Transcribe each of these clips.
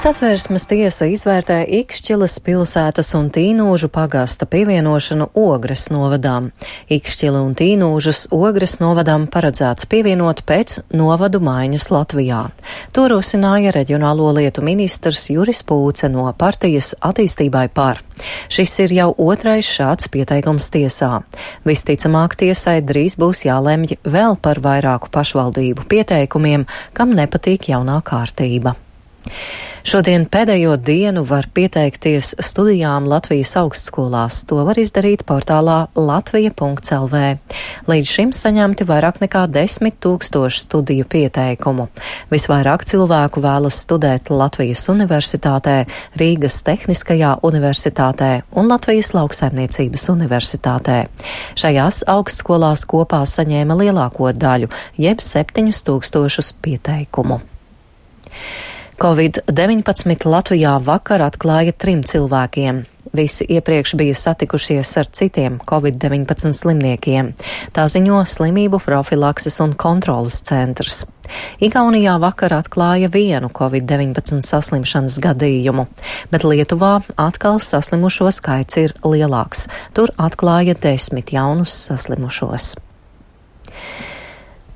Satversmes tiesa izvērtē Ikšķiles pilsētas un Tīnūžu pagasta pievienošanu Ogres novadām. Ikšķili un Tīnūžus Ogres novadām paredzēts pievienot pēc novadu maiņas Latvijā. To rosināja reģionālo lietu ministrs Juris Pūce no partijas Attīstībai par. Šis ir jau otrais šāds pieteikums tiesā. Visticamāk tiesai drīz būs jālemj vēl par vairāku pašvaldību pieteikumiem, kam nepatīk jaunā kārtība. Šodien pēdējo dienu var pieteikties studijām Latvijas augstskolās. To var izdarīt portālā latvija.lv. Līdz šim saņemti vairāk nekā 10 000 studiju pieteikumu. Visvairāk cilvēku vēlas studēt Latvijas universitātē, Rīgas Tehniskajā universitātē un Latvijas lauksaimniecības universitātē. Šajās augstskolās kopā saņēma lielāko daļu, jeb 7000 pieteikumu. Covid-19 Latvijā vakar atklāja 3 cilvēkiem. Visi iepriekš bija satikušies ar citiem Covid-19 slimniekiem. Tā ziņo Slimību profilakses un kontrolas centrs. Igaunijā vakar atklāja 1 Covid-19 saslimšanas gadījumu, bet Lietuvā atkal saslimušo skaits ir lielāks. Tur atklāja 10 jaunus saslimušos.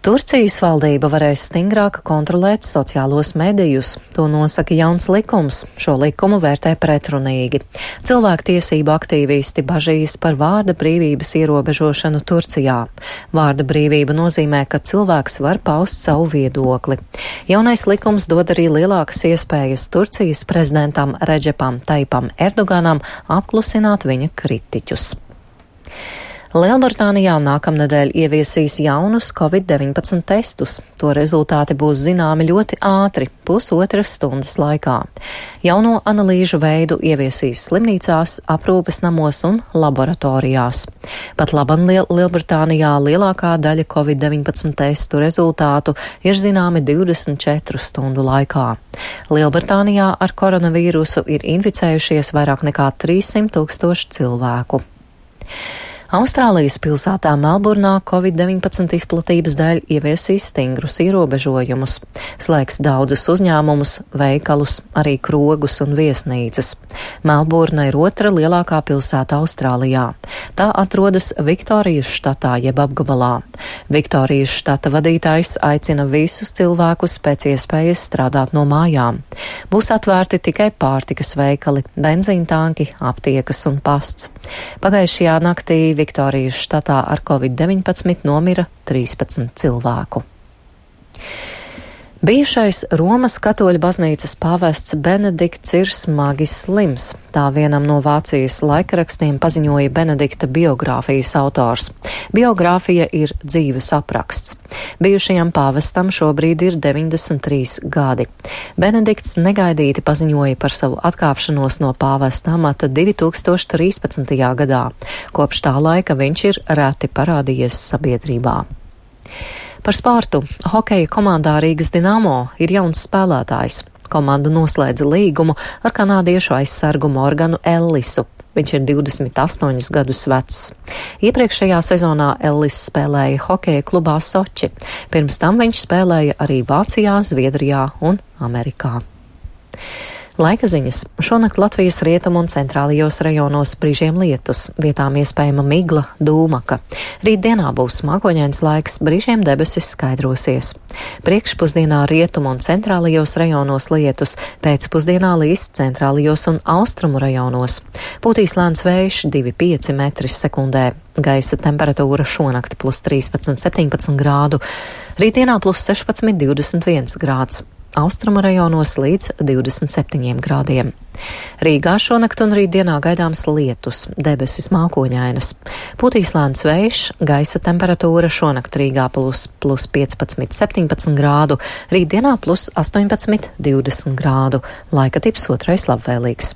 Turcijas valdība varēs stingrāk kontrolēt sociālos medijus. To nosaka jauns likums. Šo likumu vērtē pretrunīgi. Cilvēktiesību aktīvisti bažīs par vārda brīvības ierobežošanu Turcijā. Vārda brīvība nozīmē, ka cilvēks var paust savu viedokli. Jaunais likums dod arī lielākas iespējas Turcijas prezidentam Redžepam Taipam Erdoganam apklusināt viņa kritiķus. Lielbritānijā nākamnedēļ ieviesīs jaunus Covid-19 testus. To rezultāti būs zināmi ļoti ātri, pusotras stundas laikā. Jauno analīžu veidu ieviesīs slimnīcās, aprūpes namos un laboratorijās. Pat laban Lielbritānijā lielākā daļa Covid-19 testu rezultātu ir zināmi 24 stundu laikā. Lielbritānijā ar koronavīrusu ir inficējušies vairāk nekā 300 000 cilvēku. Austrālijas pilsētā Melburnā Covid-19 izplatības dēļ ieviesīs stingrus ierobežojumus. Slēgs daudzus uzņēmumus, veikalus, arī krogus un viesnīcas. Melburna ir otra lielākā pilsēta Austrālijā. Tā atrodas Viktorijas štatā jeb apgabalā. Viktorijas štata vadītājs aicina visus cilvēkus pēc iespējas strādāt no mājām. Būs atvērti tikai pārtikas veikali, benzīntanki, aptiekas un pasts. Pagājušajā naktī Viktorijas štatā ar Covid-19 nomira 13 cilvēku. Bijušais Romas katoļu baznīcas pāvests Benedikts ir smagi slims. Tā vienam no Vācijas laikrakstiem paziņoja Benedikta biogrāfijas autors. Biogrāfija ir dzīves apraksts. Bijušajam pāvestam šobrīd ir 93 gadi. Benedikts negaidīti paziņoja par savu atkāpšanos no pāvesta amata 2013. gadā. Kopš tā laika viņš ir reti parādījies sabiedrībā. Par sportu. Hokeja komandā Rīgas Dinamo ir jauns spēlētājs. Komanda noslēdza līgumu ar kanādiešu aizsargu Morganu Ellisu. Viņš ir 28 gadus vecs. Iepriekšējā sezonā Ellis spēlēja hokeja klubā Soči. Pirms tam viņš spēlēja arī Vācijā, Zviedrijā un Amerikā. Laika ziņas. Šonakt Latvijas rietumu un centrālajos rajonos brīžiem lietus, vietām iespējama migla, dūmaka. Rītdienā būs mākoņains laiks, brīžiem debesis skaidrosies. Priekšpusdienā rietumu un centrālajos rajonos lietus, pēcpusdienā līs centrālajos un austrumu rajonos. Pūtīs lēns vējš 2,5 m/sekundē. Gaisa temperatūra šonakt +13, 17 grādu. Rītdienā +16, 21 grāds. Austrumu rajonos līdz 27 grādiem. Rīgā šonakt un rītdienā gaidāms lietus, debesis mākoņainas. Pūtīs lēns vējš, gaisa temperatūra šonakt Rīgā +15, 17 grādu, rītdienā +18, 20 grādu. Laika tips otrais labvēlīgs.